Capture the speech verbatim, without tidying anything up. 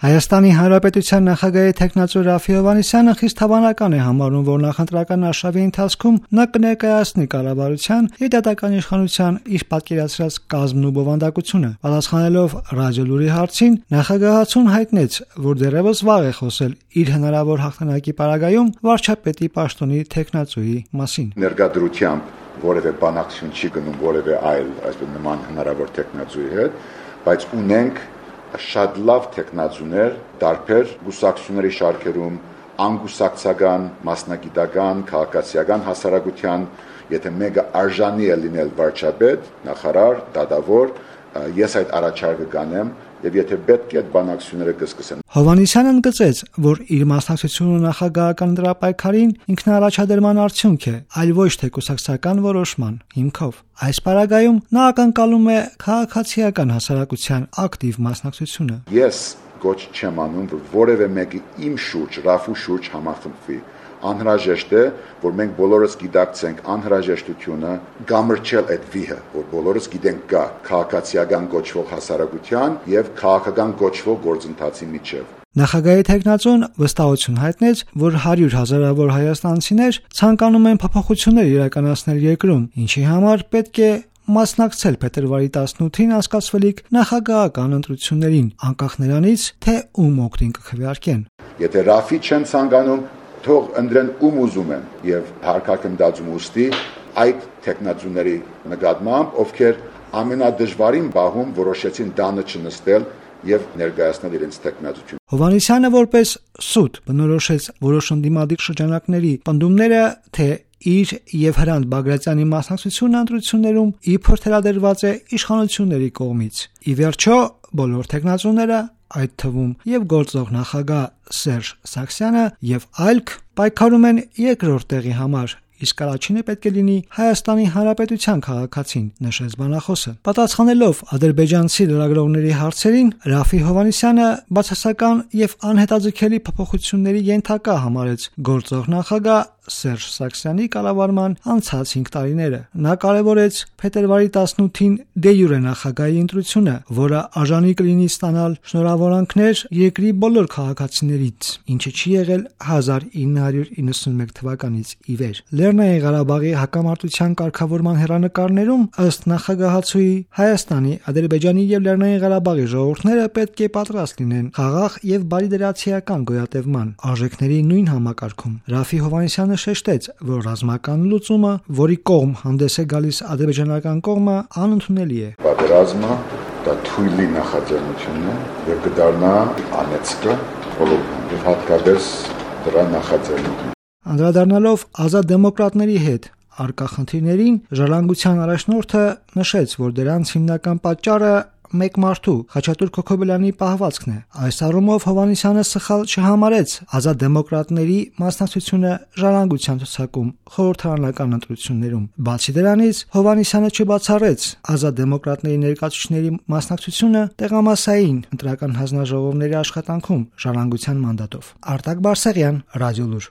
Հայաստանի Հանրապետության նախագահի թեկնածու Ռաֆֆի Հովհաննիսյանը խիստ հավանական է համարում, որ նախընտրական արշավի ընթացքում նա կներկայացնի կառավարության եւ դատական իշխանության իր պատկերացրած կազմն ու բովանդակությունը։ Պատասխանելով Ռադիոլուրի հարցին, նախագահացուն հայտնեց, որ դեռևս վաղ է խոսել իր հնարավոր հաղթանակի պարագայում վարչապետի պաշտոնի թեկնածուի մասին։ Ներկայությամբ որևէ բանակցություն չի գնում որևէ այլ այսպես նման հնարավոր թեկնածուի հետ, բայց ունենք շատ լավ տեխնացուներ, դարբեր գուսակցությունների շարքերում, անգուսակցական, մասնագիտական, քաղաքացիական հասարակության, եթե մեկը արժանի է լինել վարչապետ, նախարար, դատավոր, ես այդ առաջարկը կանեմ, եւ եթե պետք է այդ բանակցությունները կսկսեն։ Հովհաննիսյանը ընդգծեց, որ իր մասնակցությունը նախագահական դրապայքարին ինքնաառաջադրման արդյունք է, այլ ոչ թե կուսակցական որոշման հիմքով։ Այս պարագայում նա ակնկալում է քաղաքացիական հասարակության ակտիվ մասնակցությունը։ Ես գոչ չեմ անում, որ որևէ մեկը իմ շուրջ, Ռաֆու շուրջ համախմբվի։ Անհրաժեշտ է, որ մենք բոլորս գիտակցենք անհրաժեշտությունը գամրջել այդ վիհը, որ բոլորս գիտենք կա քաղաքացիական գոչվող հասարակության եւ քաղաքական գոչվող գործընթացի միջև։ Նախագահի թեկնածուն վստահություն հայտնեց, որ հարյուր հազարավոր հայաստանցիներ ցանկանում են փոփոխություններ իրականացնել երկրում, ինչի համար պետք է մասնակցել փետրվարի տասնութին անցկացվելիք նախագահական ընտրություններին, անկախ նրանից, թե ում օգտին կքվեարկեն։ Եթե Ռաֆի չեն ցանկանում, թող ընտրեն ում ուզում են եւ հարկակն դածում ուստի այդ տեխնացուների նկատմամբ, ովքեր ամենադժվարին բահում որոշեցին դանը չնստել եւ ներկայացնել իրենց տեխնացությունը։ Հովհաննիսյանը որպես սուտ բնորոշեց որոշ ընդդիմադիր շրջանակների պնդումները, թե իր եւ Հրանտ Բագրատյանի մասնակցությունը ընտրություններում իբր թելադրված է իշխանությունների կողմից։ Ի վերջո, բոլոր տեխնացուները, այդ թվում եւ գործող նախագահ Սերժ Սարգսյանը եւ այլք պայքարում են երկրորդ տեղի համար, իսկ առաջինը պետք է լինի Հայաստանի Հանրապետության քաղաքացին, նշեց բանախոսը։ Պատասխանելով ադրբեջանցի լրագրողների հարցերին, Ռաֆֆի Հովհաննիսյանը բացասական եւ անհետաձգելի փոփոխությունների ենթակա համարեց գործող նախագահ Սերժ Սարգսյանի կառավարման անցած հինգ տարիները։ Նա կարևորեց փետրվարի տասնութին դե յուրե նախագահի ընտրությունը, որը արժանի կլինի ստանալ շնորհավորանքներ երկրի բոլոր քաղաքացիներից, ինչը չի եղել հազար ինը հարյուր իննսունմեկ թվականից ի վեր։ Լեռնային Ղարաբաղի հակամարտության կարգավորման հերանեկարներում, ըստ նախագահացուի, Հայաստանի, Ադրբեջանի եւ Լեռնային Ղարաբաղի ժողովուրդները պետք է պատրաստ լինեն խաղաղ եւ բարիդրացիական գոյատևման արժեքների նույն համակարգում։ Ռաֆֆի Հովհաննիսյանը շեշտեց, որ ռազմական լուծումը, որի կողմ հանդես է գալիս ադրբեջանական կողմը, անընդունելի է։ Պատերազմը դա թույլի նախաձեռնությունն է եւ կդառնա անեծքը բոլորին եւ հատկապես դրա նախաձեռնությունը։ Անդրադառնալով ազատ դեմոկրատների հետ արկա խնդիրներին, ժառանգության առաջնորդը նշեց, որ դրանց հիմնական պատճառը մեկ մարդու Խաչատուր Քոքոբելյանի պահվածքն է։ Այս առումով Հովհաննիսյանը սխալ չհամարեց ազատ դեմոկրատների մասնակցությունը ժառանգության ցուցակում խորհրդարանական ընտրություններում։ Բացի դրանից, Հովհաննիսյանը չբացառեց ազատ դեմոկրատների ներկայացուցիչների մասնակցությունը տեղամասային ընտրական հանձնաժողովների աշխատանքում ժառանգության մանդատով։ Արտակ Բարսեղյան, Ռադիոլուր։